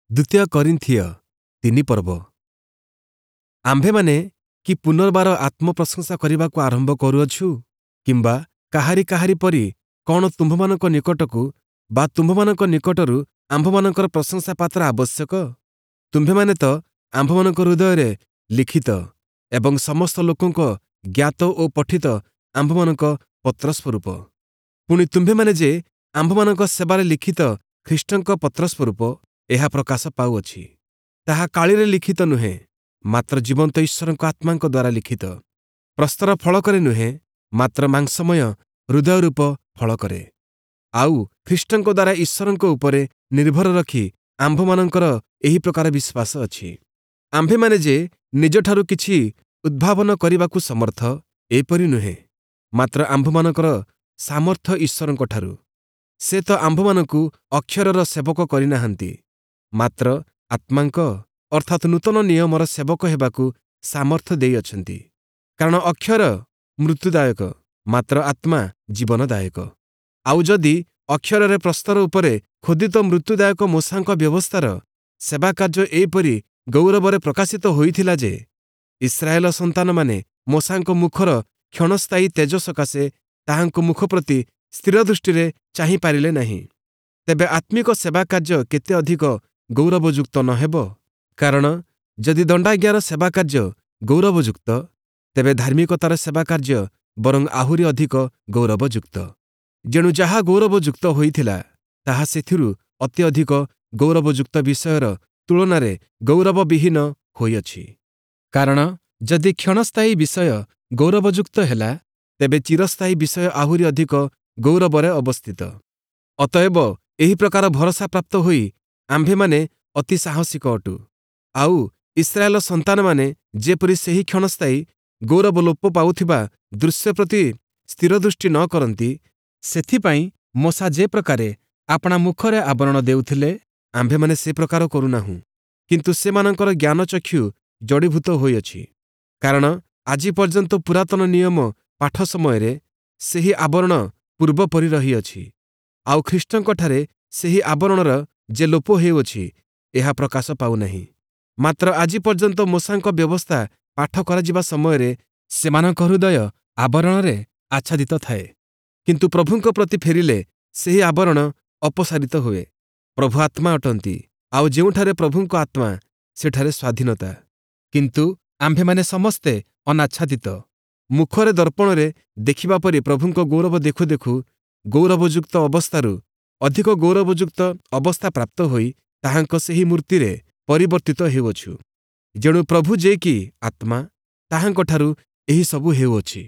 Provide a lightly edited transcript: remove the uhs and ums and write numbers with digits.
ଦ୍ୱିତୀୟ କରିନ୍ଥୀୟ 3 ପର୍ବ। ଆମ୍ଭେମାନେ କି ପୁନର୍ବାର ଆତ୍ମପ୍ରଶଂସା କରିବାକୁ ଆରମ୍ଭ କରୁଅଛୁ? କିମ୍ବା କାହାରି କାହାରି ପରି କ'ଣ ତୁମ୍ଭମାନଙ୍କ ନିକଟକୁ ବା ତୁମ୍ଭମାନଙ୍କ ନିକଟରୁ ଆମ୍ଭମାନଙ୍କର ପ୍ରଶଂସା ପାତ୍ର ଆବଶ୍ୟକ? ତୁମ୍ଭେମାନେ ତ ଆମ୍ଭମାନଙ୍କ ହୃଦୟରେ ଲିଖିତ ଏବଂ ସମସ୍ତ ଲୋକଙ୍କ ଜ୍ଞାତ ଓ ପଠିତ ଆମ୍ଭମାନଙ୍କ ପତ୍ରସ୍ୱରୂପ। ପୁଣି ତୁମ୍ଭେମାନେ ଯେ ଆମ୍ଭମାନଙ୍କ ସେବାରେ ଲିଖିତ ଖ୍ରୀଷ୍ଟଙ୍କ ପତ୍ରସ୍ୱରୂପ, ଏହା ପ୍ରକାଶ ପାଉଅଛି। ତାହା କାଳିରେ ଲିଖିତ ନୁହେଁ, ମାତ୍ର ଜୀବନ୍ତ ଈଶ୍ୱରଙ୍କ ଆତ୍ମାଙ୍କ ଦ୍ୱାରା ଲିଖିତ, ପ୍ରସ୍ତର ଫଳକରେ ନୁହେଁ, ମାତ୍ର ମାଂସମୟ ହୃଦୟରୂପ ଫଳକରେ। ଆଉ ଖ୍ରୀଷ୍ଟଙ୍କ ଦ୍ୱାରା ଈଶ୍ୱରଙ୍କ ଉପରେ ନିର୍ଭର ରଖି ଆମ୍ଭମାନଙ୍କର ଏହି ପ୍ରକାର ବିଶ୍ୱାସ ଅଛି। ଆମ୍ଭେମାନେ ଯେ ନିଜଠାରୁ କିଛି ଉଦ୍ଭାବନ କରିବାକୁ ସମର୍ଥ, ଏପରି ନୁହେଁ, ମାତ୍ର ଆମ୍ଭମାନଙ୍କର ସାମର୍ଥ୍ୟ ଈଶ୍ୱରଙ୍କଠାରୁ। ସେ ତ ଆମ୍ଭମାନଙ୍କୁ ଅକ୍ଷରର ସେବକ କରିନାହାନ୍ତି, ମାତ୍ର ଆତ୍ମାଙ୍କ ଅର୍ଥାତ୍ ନୂତନ ନିୟମର ସେବକ ହେବାକୁ ସାମର୍ଥ୍ୟ ଦେଇଅଛନ୍ତି। କାରଣ ଅକ୍ଷର ମୃତ୍ୟୁଦାୟକ, ମାତ୍ର ଆତ୍ମା ଜୀବନଦାୟକ। ଆଉ ଯଦି ଅକ୍ଷରରେ ପ୍ରସ୍ତର ଉପରେ ଖୋଦିତ ମୃତ୍ୟୁଦାୟକ ମୋଶାଙ୍କ ବ୍ୟବସ୍ଥାର ସେବାକାର୍ଯ୍ୟ ଏହିପରି ଗୌରବରେ ପ୍ରକାଶିତ ହୋଇଥିଲା ଯେ ଇସ୍ରାଏଲ ସନ୍ତାନମାନେ ମୋଶାଙ୍କ ମୁଖର କ୍ଷଣସ୍ଥାୟୀ ତେଜ ସକାଶେ ତାହାଙ୍କ ମୁଖ ପ୍ରତି ସ୍ଥିର ଦୃଷ୍ଟିରେ ଚାହିଁପାରିଲେ ନାହିଁ, ତେବେ ଆତ୍ମିକ ସେବାକାର୍ଯ୍ୟ କେତେ ଅଧିକ ଗୌରବଯୁକ୍ତ ନ ହେବ? କାରଣ ଯଦି ଦଣ୍ଡାଜ୍ଞାର ସେବାକାର୍ଯ୍ୟ ଗୌରବଯୁକ୍ତ, ତେବେ ଧାର୍ମିକତାର ସେବାକାର୍ଯ୍ୟ ବରଂ ଆହୁରି ଅଧିକ ଗୌରବଯୁକ୍ତ। ଯେଣୁ ଯାହା ଗୌରବଯୁକ୍ତ ହୋଇଥିଲା, ତାହା ସେଥିରୁ ଅତି ଅଧିକ ଗୌରବଯୁକ୍ତ ବିଷୟର ତୁଳନାରେ ଗୌରବବିହୀନ ହୋଇଅଛି। କାରଣ ଯଦି କ୍ଷଣସ୍ଥାୟୀ ବିଷୟ ଗୌରବଯୁକ୍ତ ହେଲା, ତେବେ ଚିରସ୍ଥାୟୀ ବିଷୟ ଆହୁରି ଅଧିକ ଗୌରବରେ ଅବସ୍ଥିତ। ଅତଏବ ଏହି ପ୍ରକାର ଭରସା ପ୍ରାପ୍ତ ହୋଇ ଆମ୍ଭେମାନେ ଅତି ସାହସିକ ଅଟୁ। ଆଉ ଇସ୍ରାଏଲ ସନ୍ତାନମାନେ ଯେପରି ସେହି କ୍ଷଣସ୍ଥାୟୀ ଗୌରବ ଲୋପ ପାଉଥିବା ଦୃଶ୍ୟ ପ୍ରତି ସ୍ଥିର ଦୃଷ୍ଟି ନ କରନ୍ତି, ସେଥିପାଇଁ ମୋଶା ଯେ ପ୍ରକାରେ ଆପଣା ମୁଖରେ ଆବରଣ ଦେଉଥିଲେ, ଆମ୍ଭେମାନେ ସେ ପ୍ରକାର କରୁନାହୁଁ। କିନ୍ତୁ ସେମାନଙ୍କର ଜ୍ଞାନଚକ୍ଷୁ ଜଡ଼ୀଭୂତ ହୋଇଅଛି। କାରଣ ଆଜି ପର୍ଯ୍ୟନ୍ତ ପୁରାତନ ନିୟମ ପାଠ ସମୟରେ ସେହି ଆବରଣ ପୂର୍ବପରି ରହିଅଛି। ଆଉ ଖ୍ରୀଷ୍ଟଙ୍କଠାରେ ସେହି ଆବରଣର ଯେ ଲୋପ ହେଉଅଛି, ଏହା ପ୍ରକାଶ ପାଉନାହିଁ। ମାତ୍ର ଆଜି ପର୍ଯ୍ୟନ୍ତ ମୋଶାଙ୍କ ବ୍ୟବସ୍ଥା ପାଠ କରାଯିବା ସମୟରେ ସେମାନଙ୍କ ହୃଦୟ ଆବରଣରେ ଆଚ୍ଛାଦିତ ଥାଏ। କିନ୍ତୁ ପ୍ରଭୁଙ୍କ ପ୍ରତି ଫେରିଲେ ସେହି ଆବରଣ ଅପସାରିତ ହୁଏ। ପ୍ରଭୁ ଆତ୍ମା ଅଟନ୍ତି, ଆଉ ଯେଉଁଠାରେ ପ୍ରଭୁଙ୍କ ଆତ୍ମା, ସେଠାରେ ସ୍ୱାଧୀନତା। କିନ୍ତୁ ଆମ୍ଭେମାନେ ସମସ୍ତେ ଅନାଚ୍ଛାଦିତ ମୁଖରେ ଦର୍ପଣରେ ଦେଖିବା ପରି ପ୍ରଭୁଙ୍କ ଗୌରବ ଦେଖୁ ଦେଖୁ ଗୌରବଯୁକ୍ତ ଅବସ୍ଥାରୁ ଅଧିକ ଗୌରବଯୁକ୍ତ ଅବସ୍ଥା ପ୍ରାପ୍ତ ହୋଇ ତାହାଙ୍କ ସେହି ମୂର୍ତ୍ତିରେ ପରିବର୍ତ୍ତିତ ହେଉଅଛୁ। ଯେଣୁ ପ୍ରଭୁ ଯେ କି ଆତ୍ମା, ତାହାଙ୍କଠାରୁ ଏହିସବୁ ହେଉଅଛି।